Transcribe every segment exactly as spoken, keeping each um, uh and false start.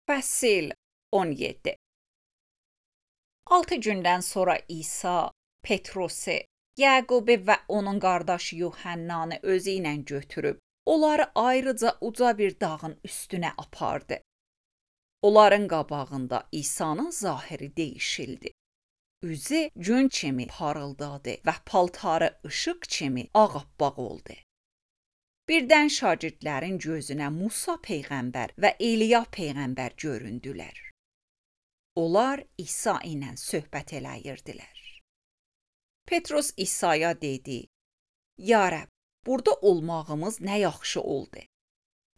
Fəsil on yeddi. Altı gündən sonra İsa Petrosi, Yəqubi və onun qardaşı Yuhannanı özü ilə götürüb, onları ayrıca uca bir dağın üstünə apardı. Onların qabağında İsa'nın zahiri değişildi. Üzü gün kimi parıldadı və paltarı ışıq kimi ağappaq oldu. Birdən şagirdlərin gözünə Musa peyğəmbər və İliya peyğəmbər göründülər. Onlar İsa ilə söhbət eləyirdilər. Petros İsa'ya dedi: "Ya Rəbb, burada olmağımız nə yaxşı oldu.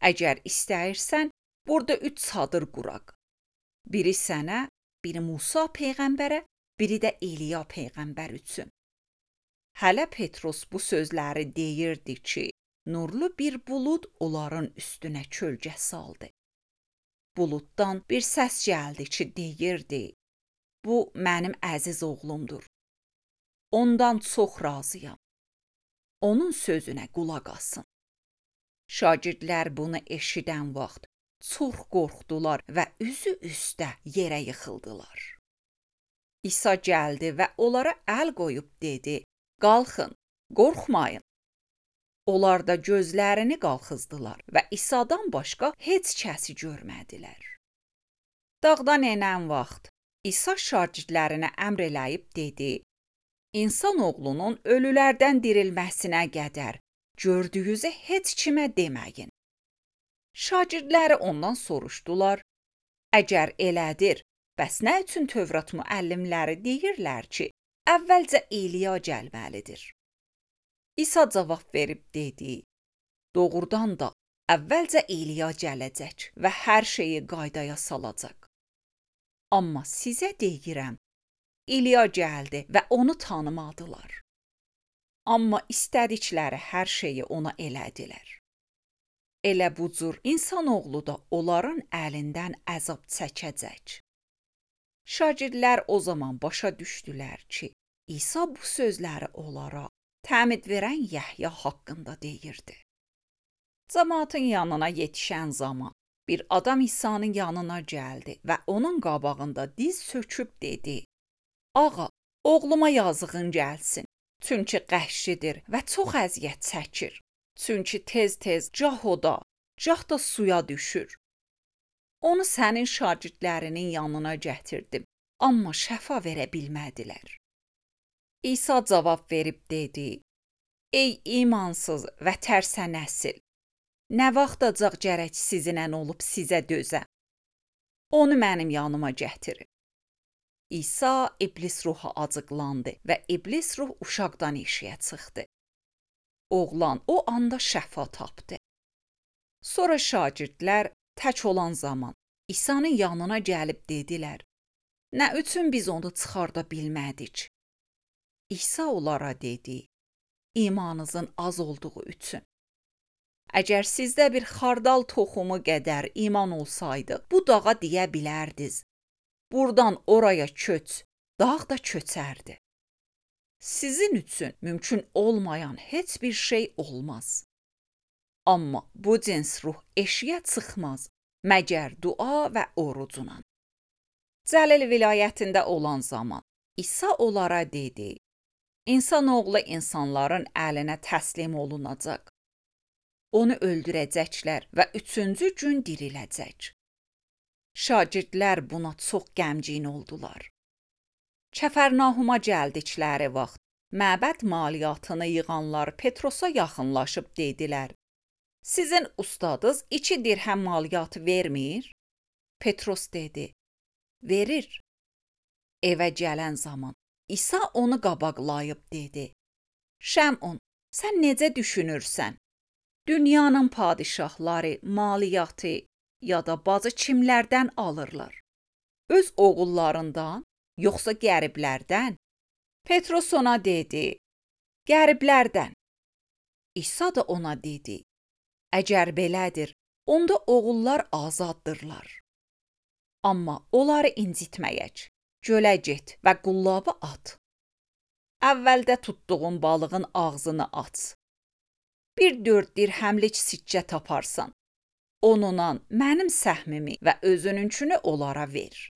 Əgər istəyirsən, burada üç çadır quraq. Biri sənə, biri Musa peyğəmbərə, biri də İliya peyğəmbər üçün." Hələ Petros bu sözləri deyirdi ki, nurlu bir bulud onların üstünə kölgə saldı. Buluddan bir səs gəldi ki, deyirdi: "Bu mənim əziz oğlumdur. Ondan çox razıyam. Onun sözünə qulaq asın." Şagirdlər bunu eşidən vaxt çox qorxdular və üzü üstə yerə yıxıldılar. İsa gəldi və onlara əl qoyub dedi: "Qalxın, qorxmayın." Onlar da gözlərini qalxızdılar və İsa'dan başqa heç kəsi görmədilər. Dağdan enən vaxt İsa şagirdlərinə əmr eləyib dedi: "İnsan oğlunun ölülərdən dirilməsinə qədər gördüyünüzü heç kimə deməyin." Şagirdləri ondan soruşdular: "Əgər elədir, bəs nə üçün Tövrat müəllimləri deyirlər ki, əvvəlcə İliya gəlməlidir?" İsa cavab verib dedi: "Doğrudan da əvvəlcə İliya gələcək və hər şeyi qaydaya salacaq. Amma sizə deyirəm, İliya gəldi və onu tanımadılar. Amma istədikləri hər şeyi ona elədilər. Elə bu cür insanoğlu da onların əlindən əzab çəkəcək." Şagirdlər o zaman başa düşdülər ki, İsa bu sözləri onlara təmid verən Yəhya haqqında deyirdi. Cəmaatın yanına yetişən zaman bir adam İsa'nın yanına gəldi və onun qabağında diz çöküb dedi: "Ağa, oğluma yazığın gəlsin. Çünki qəşlidir və çox əziyyət çəkir. Çünki tez-tez cah oda, cah da suya düşür. Onu sənin şagirdlərinin yanına gətirdim, amma şəfa verə bilmədilər." İsa cavab verib dedi: "Ey imansız və tərsə nəsil, nə vaxtacaq gərək sizinlə olub sizə dözəm? Onu mənim yanıma gətirin." İsa iblis ruha acıqlandı və iblis ruh uşaqdan eşiyə çıxdı. Oğlan o anda şəfa tapdı. Sonra şagirdlər tək olan zaman İsa'nın yanına gəlib dedilər: "Nə üçün biz onu çıxarda bilmədik?" İsa onlara dedi: "İmanınızın az olduğu üçün. Əgər sizdə bir xardal toxumu qədər iman olsaydı, bu dağa deyə bilərdiniz: buradan oraya köç, dağ da köçərdi. Sizin üçün mümkün olmayan heç bir şey olmaz. Amma bu cins ruh eşiyə çıxmaz, məgər dua və orucla." Cəlil vilayətində olan zaman İsa onlara dedi: "İnsanoğlu insanların əlinə təslim olunacaq. Onu öldürəcəklər və üçüncü gün diriləcək." Şagirdlər buna çox qəmgin oldular. Kəfərnahuma gəldikləri vaxt məbəd maliyyatını yığanlar Petrosa yaxınlaşıb dedilər: "Sizin ustadınız iki dirhəm maliyyatı vermir?" Petros dedi: "Verir." Evə gələn zaman İsa onu qabaqlayıb dedi: "Şəmun, sən necə düşünürsən? Dünyanın padişahları maliyyatı ya da bacı kimlərdən alırlar? Öz oğullarından, yoxsa qəriblərdən?" Petros ona dedi: "Qəriblərdən." İsa da ona dedi: "Əgər belədir, onda oğullar azaddırlar. Amma onları incitməyək. Gölə get və qullabı at. Əvvəldə tutduğun balığın ağzını aç. Bir dörd dirhəmlik sikkə taparsan. Onunla mənim səhmimi və özününkünü onlara ver.